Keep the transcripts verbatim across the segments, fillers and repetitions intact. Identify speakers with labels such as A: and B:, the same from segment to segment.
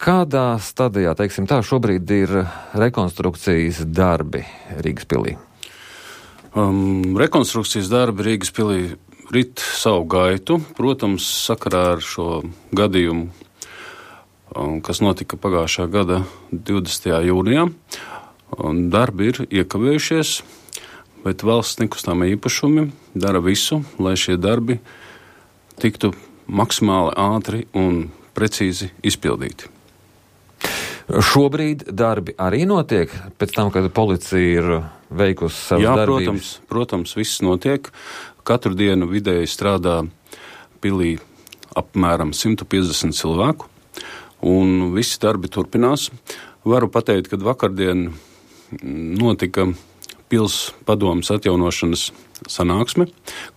A: Kādā stadijā, teiksim tā, šobrīd ir rekonstrukcijas darbi Rīgas pilī?
B: Um, rekonstrukcijas darbi Rīgas pilī rit savu gaitu. Protams, sakarā ar šo gadījumu, um, kas notika pagājušā gada divdesmitajā jūnijā, um, darbi ir iekavējušies, bet valsts nekustamie īpašumi dara visu, lai šie darbi tiktu maksimāli ātri un precīzi izpildīti.
A: Šobrīd darbi arī notiek pēc tam, kad policija ir veikusi savas
B: Jā,
A: darbības?
B: protams, protams, viss notiek. Katru dienu vidēji strādā pilī apmēram simt piecdesmit cilvēku, un visi darbi turpinās. Varu pateikt, ka vakardien notika pils padomes atjaunošanas sanāksme,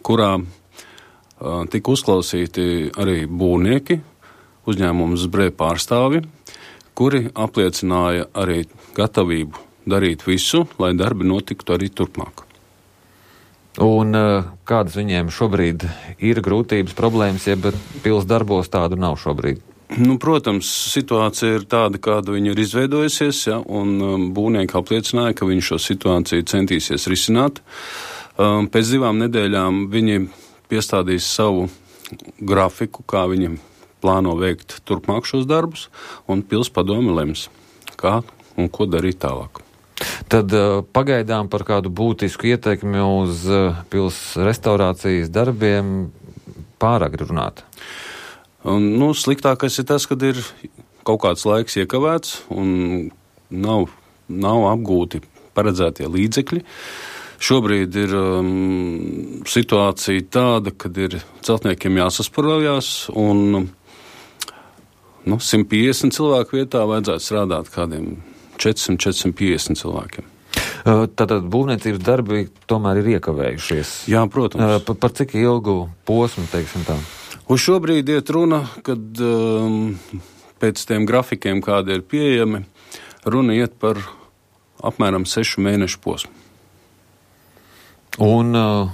B: kurā uh, tika uzklausīti arī būvnieki, uzņēmums Zbrē pārstāvi, kuri apliecināja arī gatavību darīt visu, lai darbi notiktu arī turpmāk.
A: Un kādas viņiem šobrīd ir grūtības, problēmas, ja pils darbos tādu nav šobrīd?
B: Nu, protams, situācija ir tāda, kāda viņa ir izveidojusies, ja, un um, būvnieki apliecināja, ka viņi šo situāciju centīsies risināt. Um, pēc divām nedēļām viņi piestādīs savu grafiku, kā viņi plāno veikt turpmāk šos darbus, un pils padome lems, kā un ko darīt tālāk.
A: Tad uh, pagaidām par kādu būtisku ietekmi uz uh, pils restaurācijas darbiem pārāk runāt.
B: Un, nu, sliktākais ir tas, kad ir kaut kāds laiks iekavēts un nav, nav apgūti paredzētie līdzekļi. Šobrīd ir um, situācija tāda, kad ir celtniekiem jāsasparojās un nu, simt piecdesmit cilvēku vietā vajadzētu strādāt kādiem četrsimt līdz četrsimt piecdesmit cilvēkiem.
A: Tātad būvniecības darbi tomēr ir iekavējušies.
B: Jā, protams.
A: Par, par cik ilgu posmu, teiksim tā?
B: Uz šobrīd iet runa, kad um, pēc tiem grafikiem, kādi ir pieejami, runa iet par apmēram sešu mēnešu posmu.
A: Un uh,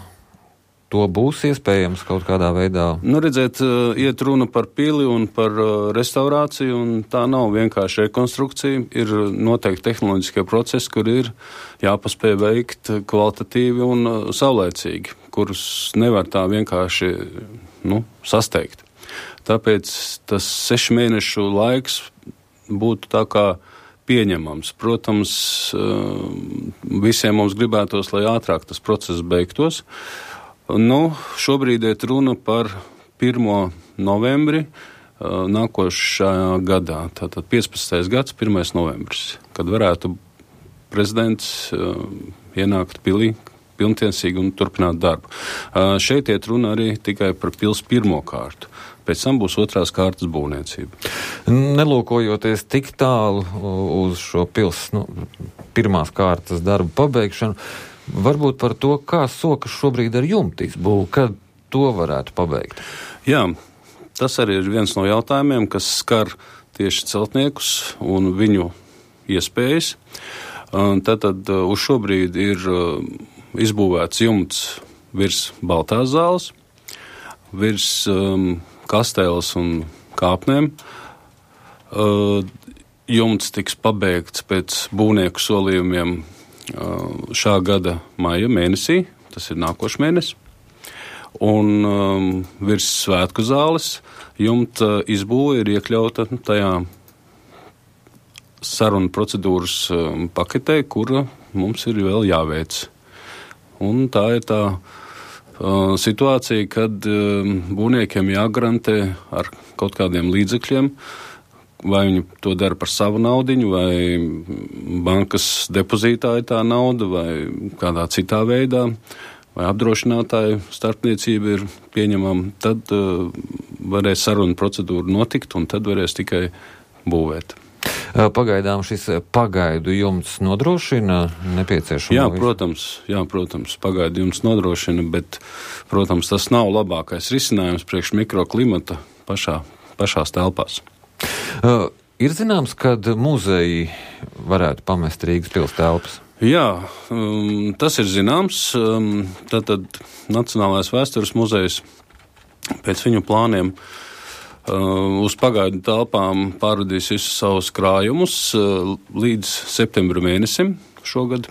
A: to būs iespējams kaut kādā veidā?
B: Nu, redzēt, uh, iet runa par pili un par uh, restaurāciju, un tā nav vienkārši rekonstrukcija. Ir noteikti tehnoloģiskie procesi, kur ir jāpaspēj veikt kvalitatīvi un uh, saulēcīgi, kurus nevar tā vienkārši nu, sasteigt. Tāpēc tas sešu mēnešu laiks būtu tā kā pieņemams. Protams, visiem mums gribētos, lai ātrāk tas process beigtos. Nu, šobrīd ir runa par pirmo novembri nākošajā gadā. Tātad piecpadsmitais gads, pirmais novembris, kad varētu prezidents ienākt pilī pilntiesīgi un turpināt darbu. Uh, šeit iet runa arī tikai par pils pirmo kārtu. Pēc tam būs otrās kārtas būvniecība.
A: Nelūkojoties tik tālu uz šo pils nu, pirmās kārtas darbu pabeigšanu, varbūt par to, kā sokas šobrīd ar jumtīs būvu, kad to varētu pabeigt?
B: Jā, tas arī ir viens no jautājumiem, kas skar tieši celtniekus un viņu iespējas. Uh, tātad uh, uz šobrīd ir uh, izbūvēts jumts virs Baltās zāles, virs um, kastēles un kāpnēm. Uh, jumts tiks pabeigts pēc būvnieku solījumiem uh, šā gada maija mēnesī, tas ir nākošais mēnesis. Un um, virs Svētku zāles jumta izbūve ir iekļauta tajā sarunu procedūras um, paketē, kura mums ir vēl jāveic. Un tā ir tā uh, situācija, kad uh, būvniekiem jāgarantē ar kaut kādiem līdzekļiem, vai viņi to dara par savu naudiņu, vai bankas depozītāja tā nauda, vai kādā citā veidā, vai apdrošinātāju starpniecība ir pieņemama, tad uh, varēs sarunu procedūra notikt, un tad varēs tikai būvēt.
A: Pagaidām šis pagaidu jumts nodrošina nepieciešamo?
B: Jā, protams, jā, protams, pagaidu jumts nodrošina, bet, protams, tas nav labākais risinājums priekš mikroklimata pašā, pašās telpās.
A: Uh, ir zināms, kad muzeji varētu pamest Rīgas pils telpas?
B: Jā, um, tas ir zināms. Um, tātad Nacionālais vēstures muzejs pēc viņu plāniem uz pagaidu telpām pārvadīs visus savus krājumus līdz septembra mēnesim šogad.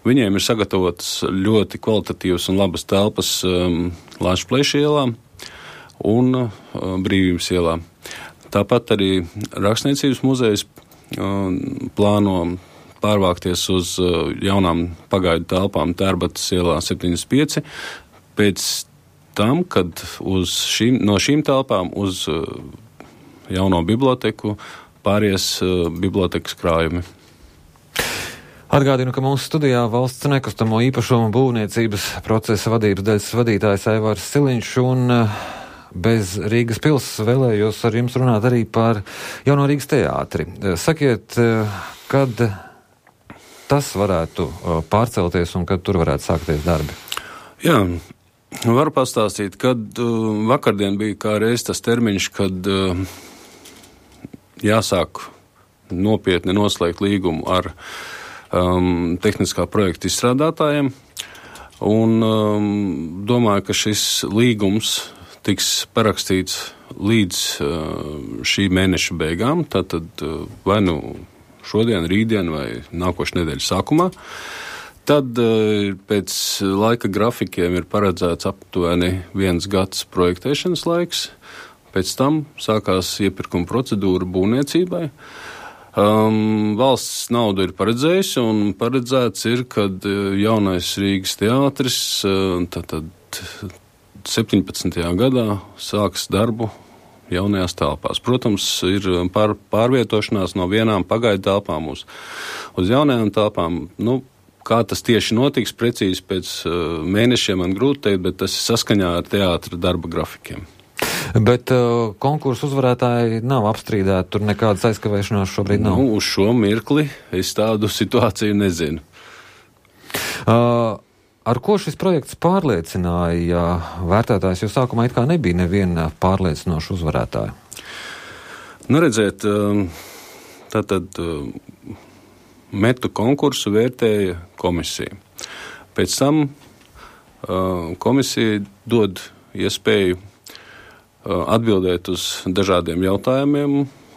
B: Viņiem ir sagatavotas ļoti kvalitatīvas un labas telpas Lāčplēša ielā un Brīvības ielā. Tāpat arī Rakstniecības muzejs plāno pārvākties uz jaunām pagaidu telpām Tērbatas ielā septiņdesmit pieci. Pēc tam, kad uz šīm, no šīm telpām uz uh, jauno biblioteku pāries uh, bibliotekas krājumi.
A: Atgādinu, ka mūsu studijā valsts nekustamo īpašumu būvniecības procesa vadības daļas vadītājs Aivārs Siliņš, un uh, bez Rīgas pils vēlējos ar jums runāt arī par jauno Rīgas teātri. Sakiet, uh, kad tas varētu uh, pārcelties un kad tur varētu sākties darbi?
B: Jā. Varu pastāstīt, kad uh, vakardien bija kā reiz tas termiņš, kad uh, jāsāk nopietni noslēgt līgumu ar um, tehniskā projekta izstrādātājiem. Un um, domāju, ka šis līgums tiks parakstīts līdz uh, šī mēneša beigām, tātad uh, vai nu šodien, rītdien vai nākošu nedēļu sākumā. Tad pēc laika grafikiem ir paredzēts aptuveni viens gads projektēšanas laiks. Pēc tam sākās iepirkuma procedūra būvniecībai. Um, valsts naudu ir paredzējusi un paredzēts ir, kad jaunais Rīgas teātris tātad septiņpadsmitajā gadā sāks darbu jaunajās telpās. Protams, ir pār, pārvietošanās no vienām pagaidu telpām uz, uz jaunajām telpām. Nu, Kā tas tieši notiks, precīzi pēc uh, mēnešiem man grūti teikt, bet tas ir saskaņā ar teātra darba grafikiem.
A: Bet uh, konkursu uzvarētāji nav apstrīdēti, tur nekādas aizkavēšanās šobrīd nav?
B: Nu, uz šo mirkli es tādu situāciju nezinu.
A: Uh, ar ko šis projekts pārliecināja? Ja vērtētājs jau sākumā it kā nebija neviena pārliecinoša uzvarētāja.
B: Nu, redziet, uh, tātad... Uh, Metu konkursu vērtēja komisija. Pēc tam uh, komisija dod iespēju uh, atbildēt uz dažādiem jautājumiem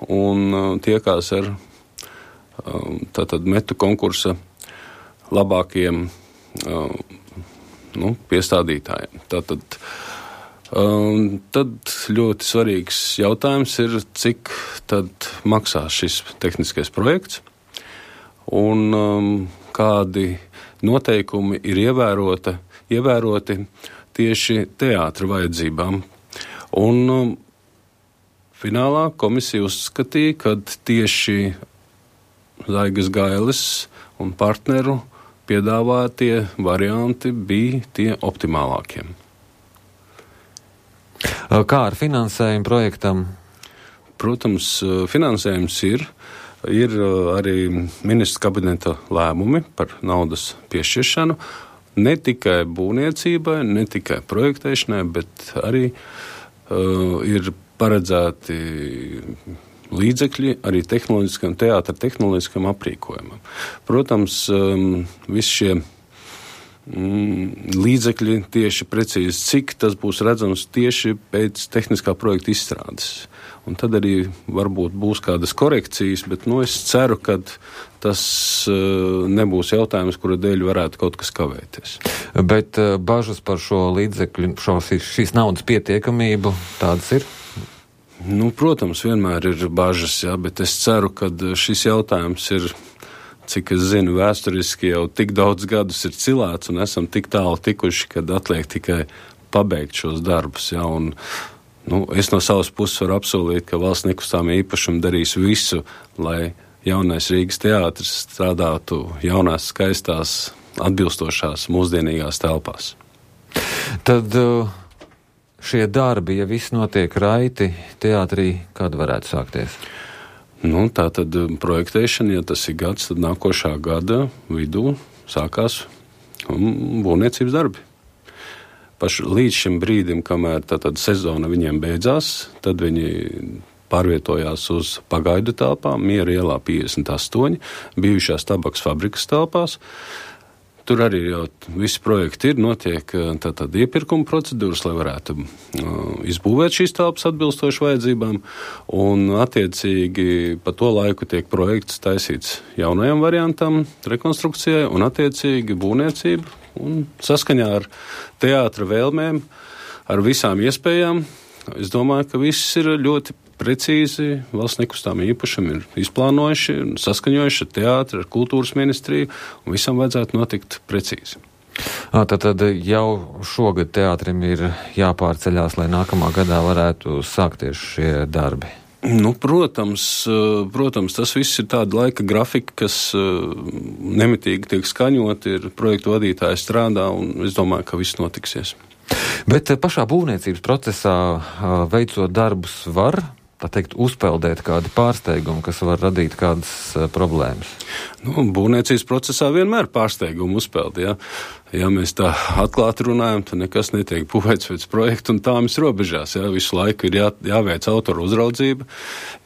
B: un uh, tiekās ar uh, tātad metu konkursa labākajiem uh, nu, piestādītājiem. Tātad, uh, tad ļoti svarīgs jautājums ir, cik tad maksās šis tehniskais projekts. Un um, kādi noteikumi ir ievērota, ievēroti tieši teātra vajadzībām. Un um, finālā komisija uzskatīja, ka tieši Zaigas Gailes un partneru piedāvātie varianti bija tie optimālākie.
A: Kā ar finansējumu projektam?
B: Protams, finansējums ir. Ir arī ministra kabineta lēmumi par naudas piešķiršanu ne tikai būvniecībai, ne tikai projektēšanai, bet arī uh, ir paredzēti līdzekļi arī tehnoloģiskam, teātra tehnoloģiskam aprīkojumam. Protams, um, visi šie um, līdzekļi tieši precīzi, cik tas būs redzams tieši pēc tehniskā projekta izstrādes. Un tad arī varbūt būs kādas korekcijas, bet nu, es ceru, ka tas uh, nebūs jautājums, kura dēļ varētu kaut kas kavēties.
A: Bet uh, bažas par šo līdzekļu, šo, šīs naudas pietiekamību, tādas ir?
B: Nu, protams, vienmēr ir bažas, jā, bet es ceru, ka šis jautājums ir, cik es zinu, vēsturiski jau tik daudz gadus ir cilāts un esam tik tālu tikuši, kad atliek tikai pabeigt šos darbus, jā, un Nu, es no savas puses varu apsolīt, ka valsts nekustamie īpašumi darīs visu, lai jaunais Rīgas teātris strādātu jaunās, skaistās, atbilstošās, mūsdienīgās telpās.
A: Tad šie darbi, ja viss notiek raiti, teātrī, kad varētu sākties?
B: Nu, tā tad projektēšana, ja tas ir gads, tad nākošā gada vidū sākās būvniecības darbi. Paši līdz šim brīdim, kamēr tātad sezona viņiem beidzās, tad viņi pārvietojās uz pagaidu telpām, Miera ielā piecdesmit astoņi, bijušās tabaks fabrikas telpās. Tur arī jau visi projekti ir, notiek tātad iepirkuma procedūras, lai varētu izbūvēt šīs telpas atbilstoši vajadzībām, un attiecīgi pa to laiku tiek projekts taisīts jaunajam variantam, rekonstrukcijai, un attiecīgi būvniecība, un saskaņā ar teātra vēlmēm, ar visām iespējām, es domāju, ka viss ir ļoti precīzi, valsts nekustāmie īpašumi ir izplānojuši un saskaņojuši ar teātri, ar kultūras ministriju, un visam vajadzētu notikt precīzi.
A: Tātad jau šogad teātrim ir jāpārceļās, lai nākamā gadā varētu sākties šie darbi.
B: Nu, protams, protams, tas viss ir tāda laika grafika, kas nemitīgi tiek skaņot, ir projektu vadītāji strādā, un es domāju, ka viss notiksies.
A: Bet pašā būvniecības procesā veicot darbus var, tā teikt, uzpeldēt kādi pārsteigumi, kas var radīt kādas problēmas?
B: Nu, būvniecības procesā vienmēr pārsteigumu uzpeld, ja. Ja mēs tā atklāti runājam, tad nekas netiek būvēts pēc projekta un tāmas robežās, ja. Visu laiku ir jā, jāveic autoru uzraudzība,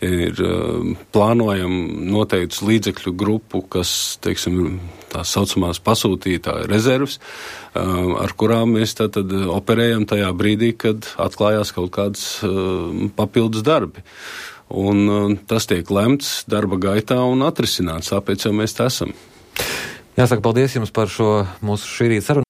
B: ir plānojam noteikts līdzekļu grupu, kas, teiksim, tās saucamās pasūtītāja rezervas, ar kurām mēs tātad operējam tajā brīdī, kad atklājās kaut kāds papildus darbi. Un tas tiek lemts darba gaitā un atrisināts, tāpēc jau mēs tā esam.
A: Jāsaka, paldies jums par šo mūsu šī rīta sarunu.